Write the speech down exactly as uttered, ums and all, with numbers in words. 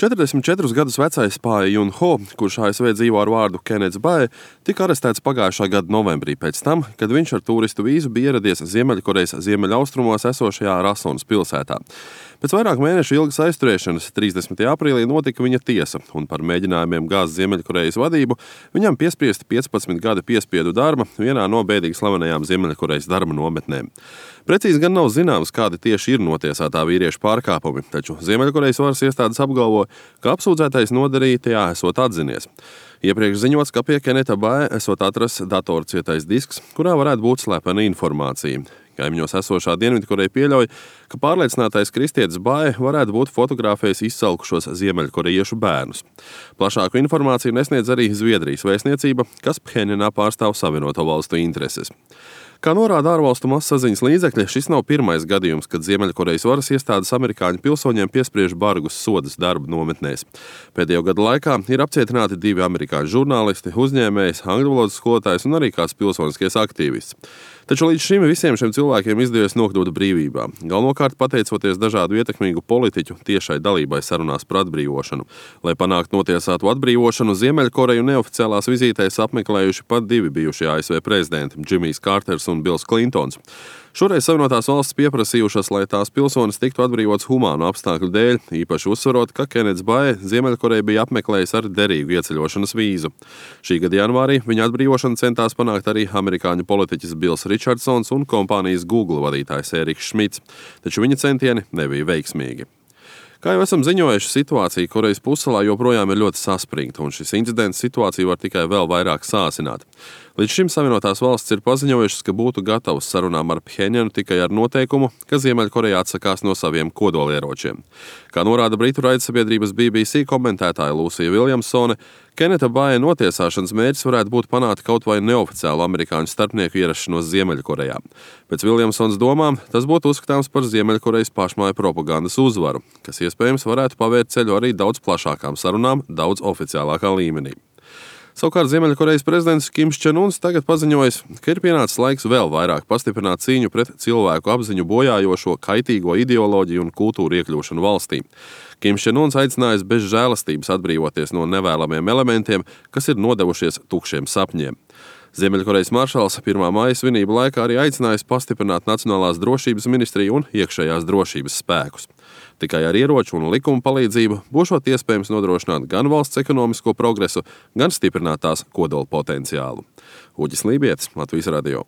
četrdesmit četrus gadus vecais Pae Jun Ho, kurš A S V dzīvo ar vārdu Kennets Bae, tika arestēts pagājušā gada novembrī pēc tam, kad viņš ar turistu vīzu bija ieradies Ziemeļkorejas ziemeļaustrumos esošajā Rasonas pilsētā. Pēc vairāk mēnešu ilgas aizturēšanas trīsdesmitajā aprīlī notika viņa tiesa, un par mēģinājumiem gāzt Ziemeļkorejas vadību viņam piespriesti piecpadsmit gadi piespiedu darba vienā no bēdīgi slavenajām Ziemeļkorejas darba nometnēm. Precīzi gan nav zināms, kādi tieši ir notiesātā vīrieša pārkāpumi, taču Ziemeļkorejas varas iestādes apgalvo, ka apsūdzētais nodarītajā esot atzinies. Iepriekš ziņots, ka pie Kenneta Bae esot atrasts datorcietais disks, kurā varētu būt slepena informācija. Kaimiņos esošā Dienvidkoreja pieļauj, ka pārliecinātais kristietis Bae varētu būt fotografējis izsalkušos ziemeļkorejiešu bērnus. Plašāku informāciju nesniedz arī Zviedrijas vēstniecība, kas Phenjanā pārstāv Savienoto Valstu intereses. Kā norāda ārvalstu masaziņas līdzekļi, šis nav pirmais gadījums, kad Ziemeļkorejas varas iestādes amerikāņu pilsoņiem piespriež bargus sodus darba nometnēs. Pēdējo gadu laikā ir apcietināti divi amerikāņu žurnālisti, uzņēmējs, angļu valodas skolotājs un arī kāds pilsoniskais aktīvists. Taču līdz šim visiem šiem cilvēkiem izdevies nokļūt brīvībā, galvenokārt pateicoties dažādu ietekmīgu politiķu tiešai dalībai sarunās par atbrīvošanu. Lai panāktu notiesātu atbrīvošanu, Ziemeļkoreju neoficiālās vizītēs apmeklējuši pat divi bijušie A S V prezidenti – Džimijs Kārters un Bils Klintons. Šoreiz Savienotās valstis pieprasījušas, lai tās pilsonis tiktu atbrīvots humānu apstākļu dēļ, īpaši uzsverot, ka Kennets Bae Ziemeļkoreju bija apmeklējis ar derīgu ieceļošanas vīzu. Šī gada janvārī viņa atbrīvošanu centās panākt arī amerikāņu politiķis Bils Ričardsons un kompānijas Google vadītājs Eriks Šmits, taču viņa centieni nebija veiksmīgi. Kā jau esam ziņojuši, situācija Korejas pussalā joprojām ir ļoti saspringta, un šis incidents situāciju var tikai vēl vairāk sāsināt. Līdz šim Savienotās valstis ir paziņojušas, ka būtu gatavas sarunām ar Phenjanu tikai ar noteikumu, ka Ziemeļkoreja atsakās no saviem kodolieročiem. Kā norāda britu raidsabiedrības B B C komentētāja Lūsija Viljamsone, Kenneta Bae notiesāšanas mērķis varētu būt panākt kaut vai neoficiālu amerikāņu starpnieku ierašanos Ziemeļkorejā. Pēc Viljamsonas domām, tas būtu uzskatāms par Ziemeļkorejas pašmāju propagandas uzvaru, kas iespējams varētu pavērt ceļu arī daudz plašākām sarunām, daudz oficiālākā līmenī. Savukārt Ziemeļkorejas prezidents Kims Čen Uns tagad paziņojis, ka ir pienācis laiks vēl vairāk pastiprināt cīņu pret cilvēku apziņu bojājošo kaitīgo ideoloģiju un kultūru iekļūšanu valstī. Kims Čen Uns aicinājis bez žēlastības atbrīvoties no nevēlamiem elementiem, kas ir nodevušies tukšiem sapņiem. Ziemeļkorejas maršals pirmā māja svinību laikā arī aicinājis pastiprināt Nacionālās drošības ministriju un iekšējās drošības spēkus. Tikai ar ieroču un likumu palīdzību būšot iespējams nodrošināt gan valsts ekonomisko progresu, gan stiprināt tās kodola potenciālu. Uģis Lībietis, Latvijas radio.